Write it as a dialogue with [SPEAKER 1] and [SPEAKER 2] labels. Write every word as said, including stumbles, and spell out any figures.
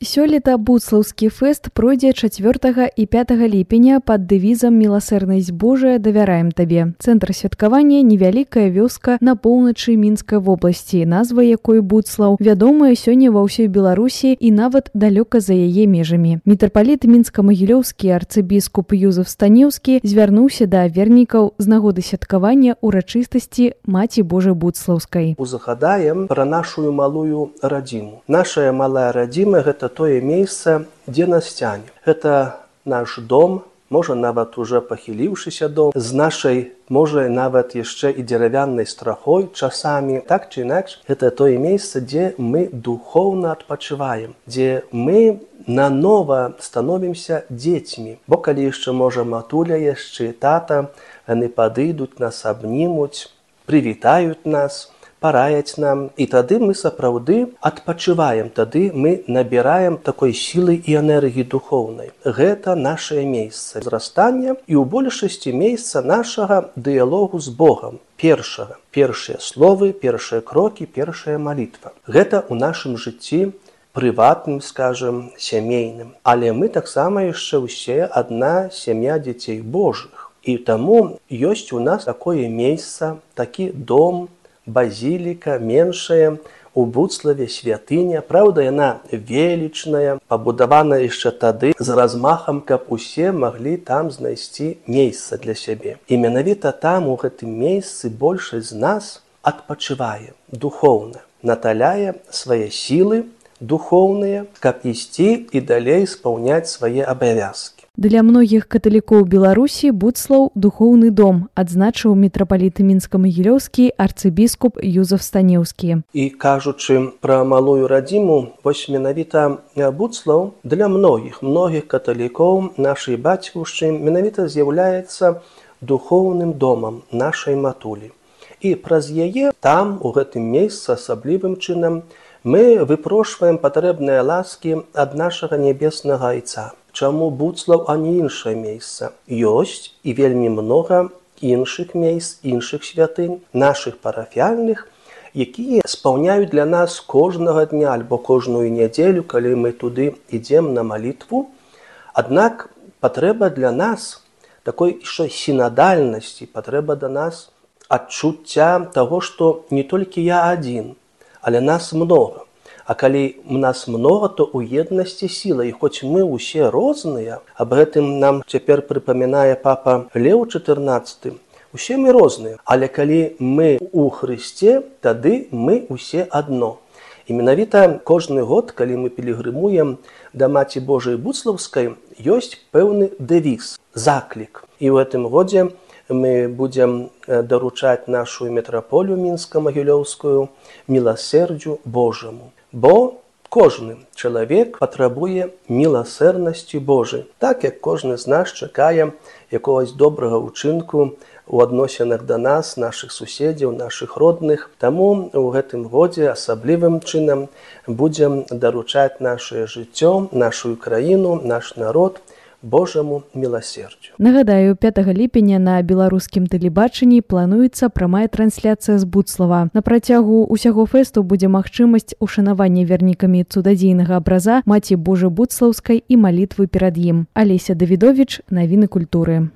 [SPEAKER 1] Сёлета Буцлаўскі фэст пройдзе чацвёртага і пятага ліпеня пад дэвізам «Міласэрнасць Божая, давяраем табе». Цэнтр святкавання – невялікая вёска на поўначы Мінскай вобласці, назва якой Буцлаў, вядомая сёння ва ўсёй Беларусі і нават далёка за яе межамі. Мітрапаліт мінска-магілёўскі арцыбіскуп Юзеф Станіўскі звярнуўся да вернікаў з нагоды святкавання ўрачыстасці Маці Божай Буцлаўскай.
[SPEAKER 2] Узгадаем пра нашу малую радзіму. Нашая малая радзіма – гэта тое месца, дзе нас цяне. Гэта наш дом, можа нават уже пахіліўшыся дом, з нашай, можа нават яшчэ і дзеравяннай страхой часамі. Так ці інакш, гэта тое месца, дзе мы духоўна адпачываем, дзе мы нанова становімся дзецьмі. Бо калі яшчэ, можа, матуля яшчэ тата, яны падыдуць, нас абнімуць, прывітаюць нас, параяць нам, і тады мы сапраўды адпачываем, тады мы набіраем такой сілы і энергіі духоўнай. Гэта нашае месца зрастання і ў большасці месца нашага дыялогу з Богам. Першага, першыя словы, першыя крокі, першая малітва. Гэта ў нашым жыцці прыватным, скажем, сямейным. Але мы таксама яшчэ ўсе адна сям'я дзяцей Божых. І таму ёсць у нас такое месца, такі дом, базіліка, меншая, у Буцлаве святыня. Праўда, яна велічная, пабудавана яшчэ тады з размахам, каб усе маглі там знайсці месца для сябе. І менавіта там, у гэтым месцы, большасць з нас адпачывае духоўна, наталяе свае сілы духоўныя, каб ісці і далей спаўняць свае абавязкі.
[SPEAKER 1] Для многіх каталікоў Беларусі Буцлаў – духоўны дом, адзначыў мітрапаліт мінска-магілёўскі арцыбіскуп Юзеф Станіўскі.
[SPEAKER 2] І кажучы пра малую радзіму, вось менавіта Буцлаў для многіх, многіх каталікоў нашай бацькаўшчыны менавіта з'яўляецца духоўным домам нашай матулі. І праз яе там, у гэтым месцы, асаблівым чынам, мы выпрошваем патрэбныя ласкі ад нашага нябеснага Айца. Чаму Буцлаў, а не іншае месца? Ёсць і вельмі многа іншых месц, іншых святынь, нашых парафіяльных, якія спаўняюць для нас кожнага дня альбо кожную нядзелю, калі мы туды ідзем на малітву. Аднак патрэба для нас такой яшчэ сінадальнасці, патрэба да нас адчуцця таго, што не толькі я адзін, але нас многа. А калі у нас многа, то ў еднасці сіла. І хоць мы ўсе розныя, аб гэтым нам цяпер прыпамінае папа Леў чатырнаццаты, усе мы розныя. Але калі мы ў Хрысце, тады мы ўсе адно. І менавіта кожны год, калі мы пілігрымуем да Маці Божай Буцлаўскай, ёсць пэўны дэвіз, заклік. І ў гэтым годзе мы будзем даручаць нашу метраполію мінска-магілёўскую міласэрдзю Божаму. Бо кожны чалавек патрабуе міласэрнасці Божай, так як кожны з нас чакае якогось добрага ўчынку у адносінах да нас, нашых суседзяў, нашых родных. Таму ў гэтым годзе асаблівым чынам будзем даручаць нашае жыццё, нашу краіну, наш народ Божаму міласердзю.
[SPEAKER 1] Нагадаю, пятага ліпеня на беларускім тэлебачанні плануецца прамая трансляцыя з Буцлава. На працягу ўсяго фэсту будзе магчымасць ушанавання вернікамі цудадзейнага абраза Маці Божай Буцлаўскай і малітвы перад ім. Алеся Давідовіч, навіны культуры.